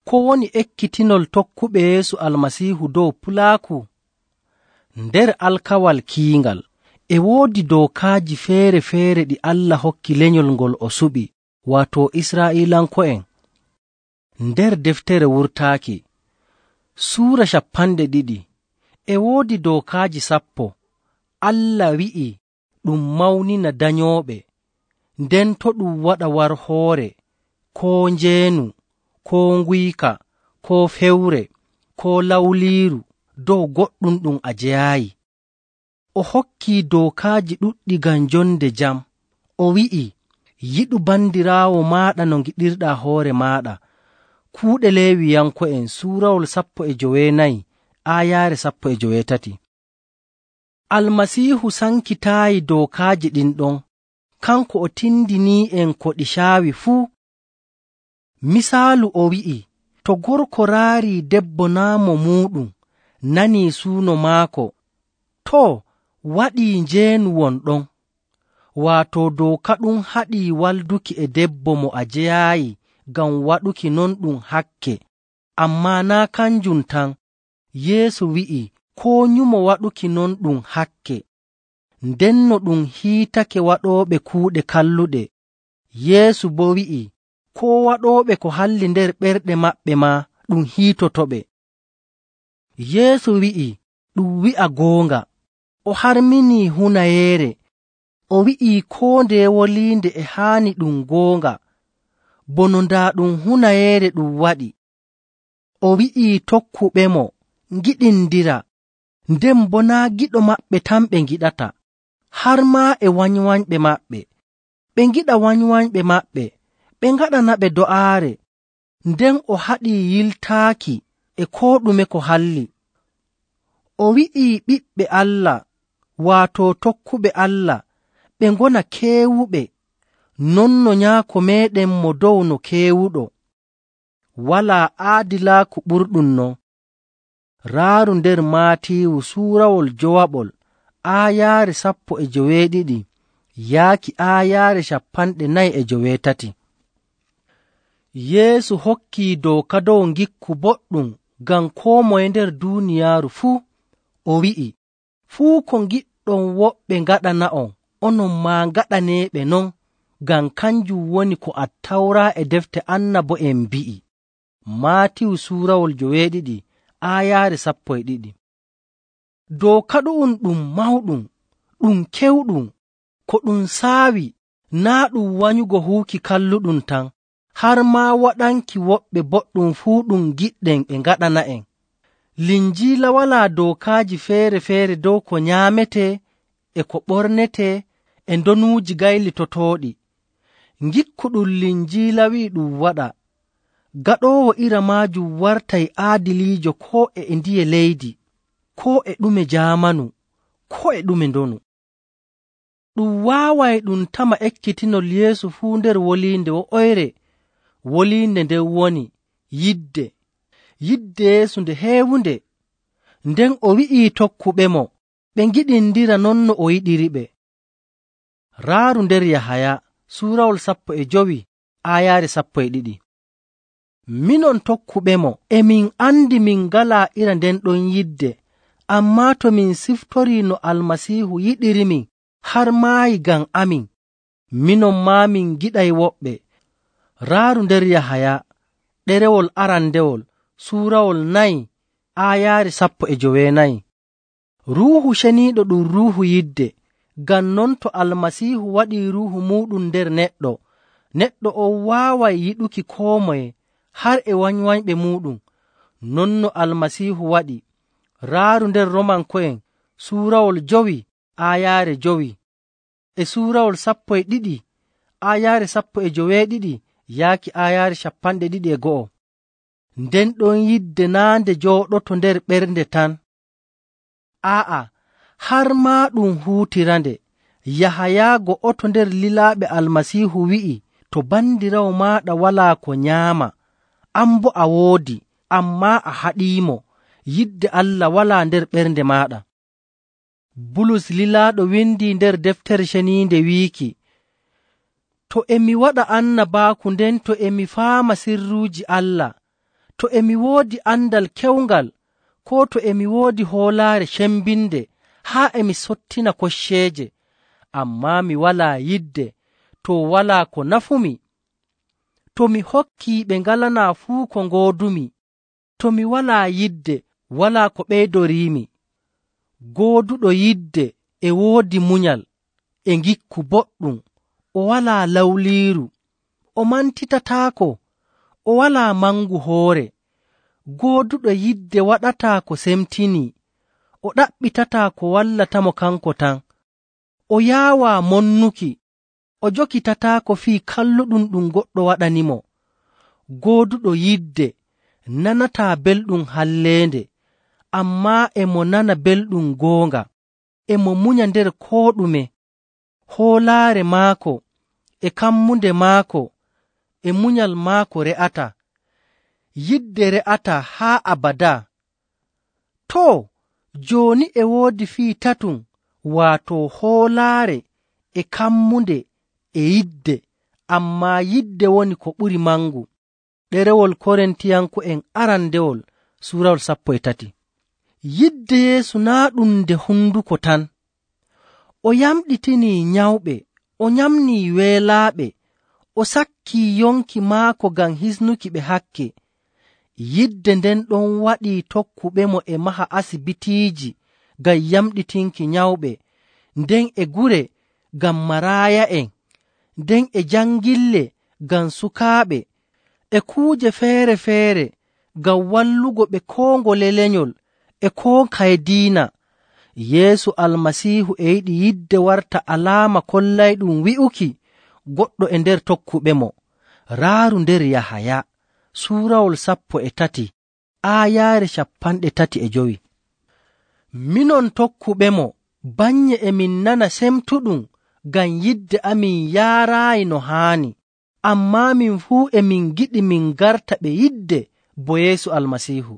ko woni ekkitinol tokkuɓe Yeesu Almasiihu dow pulaaku? Nder alkawal kiingal e woodi dookaaji feere‑feere ɗi Allah hokki lenyol ngol o suɓi, waato Israa'iilanko'en. Nder deftere Wurtaaki Suura 20 e woodi dookaaji 10. Allah wi'i ɗum mawnina danyooɓe, nden to ɗum waɗa warhoore, koo njeenu, koo nguyka, koo fewre, koo lawliiru dow goɗɗum ɗum a jeyaayi. O hokkii dookaaji ɗuɗɗi ngam jonde jam. O wi'i, yiɗu bandiraawo maaɗa no ngiɗirɗaa hoore maaɗa. Kuuɗe Leewiyanko'en suurawol 14 aayaare 13. Almasiihu sankitaayi dookaaji ɗin ɗon, kanko o tindinii'en ko ɗi caawi fuu. Misaalu o wi'i, to gorko raarii debbo naa mo muuɗum, nanii suuno maako, too waɗii njeenu won ɗon. Waato dooka ɗum haɗii walduki e debbo mo a jeyaayi ngam waɗuki non ɗum hakke. Ammaa naa kanjum tan, Yeesu wi'i koo nyumo waɗuki non ɗum hakke. Ndenno ɗum hiitake waɗooɓe kuuɗe kalluɗe. Yeesu boo wi'i koo waɗooɓe ko halli nder ɓerɗe maɓɓe maa ɗum hiitotoɓe. Yeesu wi'i ɗum wi'a goonga. O harminii hunayeere. O wi'ii koo ndeye woliinde e haani ɗum goonga, bono ndaa ɗum hunayeere ɗum waɗi. O wi'ii tokkuɓemo ngiɗindira, nden boo naa giɗo maɓɓe tan ɓe ngiɗata, har maa e wanywanyɓe maɓɓe. Ɓe ngiɗa wanywanyɓe maɓɓe, ɓe ngaɗanaɓe do'aare, nden o haɗii yiltaaki e koo ɗume ko halli. O wi'ii ɓiɓɓe Allah, waato tokkuɓe Allah, ɓe ngona keewuɓe, non no Nyaako meeɗen mo dow no keewuɗo. Walaa aadilaaku ɓurɗum non. Raaru nder Maatiiwu suurawol 9 aayaare 17 yaaki aayaare 48. Yeesu hokkii dooka dow ngikku boɗɗum ngam koo moye nder duuniyaaru fuu. O wi'i, fuu ko ngiɗɗon woɓɓe ngaɗana'on, onon maa ngaɗaneeɓe non, ngam kanjum woni ko Attawra e defte annabo'en mbi'i. Maatiiwu suurawol 9 aayaare 12. Dooka ɗu'um ɗum mawɗum, ɗum kewɗum, ko ɗum saawi naa ɗum wanyugo huuki kalluɗum tan, har maa waɗanki woɓɓe boɗɗum fuu ɗum giɗɗen ɓe ngaɗana'en. Linjiila walaa dookaaji feere‑feere dow ko nyaametee e ko ɓornetee e ndonuuji gaylitotooɗi. Ngikku ɗum Linjiila wi'i ɗum waɗa, gaɗoowo ira maajum wartay aadiliijo koo e ndiye leydi, koo e ɗume jaamanu, koo e ɗume ndonu. Ɗum waaway ɗum tama ekkitinol Yeesu fuu nder woliinde wo'oyre. Woliinde nden woni yidde Yeesu nde heewunde. Nden o wi'ii tokkuɓemo ɓe ngiɗindira non no o yiɗiriɓe. Raaru nder Yahaya suurawol 15 aayaare 12. Minon tokkuɓemo emin andi min ngalaa ira nden ɗon yidde, ammaa to min siftorii no Almasiihu yiɗirimin har maayi ngam amin, minon maa min giɗay woɓɓe. Raaru nder Yahaya ɗerewol arandewol suurawol 4 aayaare 19. Ruuhu Ceniiɗo ɗum ruuhu yidde. Ngam non to Almasiihu waɗii ruuhu muuɗum nder neɗɗo, neɗɗo on waaway yiɗuki koo moye, har e wanywanyɓe muuɗum, non no Almasiihu waɗi. Raaru nder Romanko'en suurawol 5 aayaare 5 e suurawol 12 aayaare 19 yaaki aayaare 21. Nden ɗon yidde naa nde jooɗoto nder ɓernde tan. Aa'a, har maa ɗum huutirande. Yahaya go'oto nder lilaaɓe Almasiihu wi'i, to bandiraawo maaɗa walaa ko nyaama, an boo a woodi, ammaa a haɗiimo, yidde Allah walaa nder ɓernde maaɗa. Bulus lilaaɗo windii nder deftere ceniinde wiiki, to emi waɗa annabaaku nden to emi faama sirruuji Allah, To emi woodi andal kewngal, koo to emi woodi hoolaare cembinde haa emi sottina kocceeje, ammaa mi walaa yidde, to walaa ko nafumi. To mi hokkii ɓe ngalanaa fuu ko ngoodumi, to mi walaa yidde, walaa ko ɓeydoriimi. Gooduɗo yidde e woodi munyal, e ngikku boɗɗum, o walaa lawliiru, o mantitataako, o walaa mangu hoore. Gooduɗo yidde waɗataa ko semtinii, o ɗaɓɓitataa ko wallatamo kanko tan, o yaawaa monnuki, o jokitataako fii kalluɗum ɗum goɗɗo waɗanimo. Gooduɗo yidde nanataa belɗum halleende, ammaa e mo nana belɗum goonga, e mo munya nder koo ɗume. Hoolaare maako e kammunde maako e munyal maako re'ata, yidde re'ata haa abadaa. Too, jooni e woodi fii tatum, waato hoolaare e kammunde e yidde, ammaa yidde woni ko ɓuri mangu. Ɗerewol Korintiyanko'en arandewol suurawol 13. Yidde Yeesu naa' ɗum nde hunduko tan. O yamɗitinii nyawɓe, o nyamnii weelaaɓe, o sakkii yonki maako ngam hisnuki ɓe hakke. Yidde nden ɗon waɗii tokkuɓemo e maha asibitiiji ngam yamɗitinki nyawɓe, nden e gure ngam maraaya'en, nden e jangille ngam sukaaɓe, e kuuje feere‑feere ngam wallugo ɓe koo ngole lenyol e koo kaye diina. Yeesu Almasiihu e yiɗi yidde warta alaama kollayɗum wi'uki goɗɗo e nder tokkuɓemo. Raaru nder Yahaya suurawol 13 aayaare 35. Minon tokkuɓemo banye emin nana semtuɗum ngam yidde amin yaaraayi no haani, ammaa min fuu emin giɗi min garta ɓe yidde bo Yeesu Almasiihu.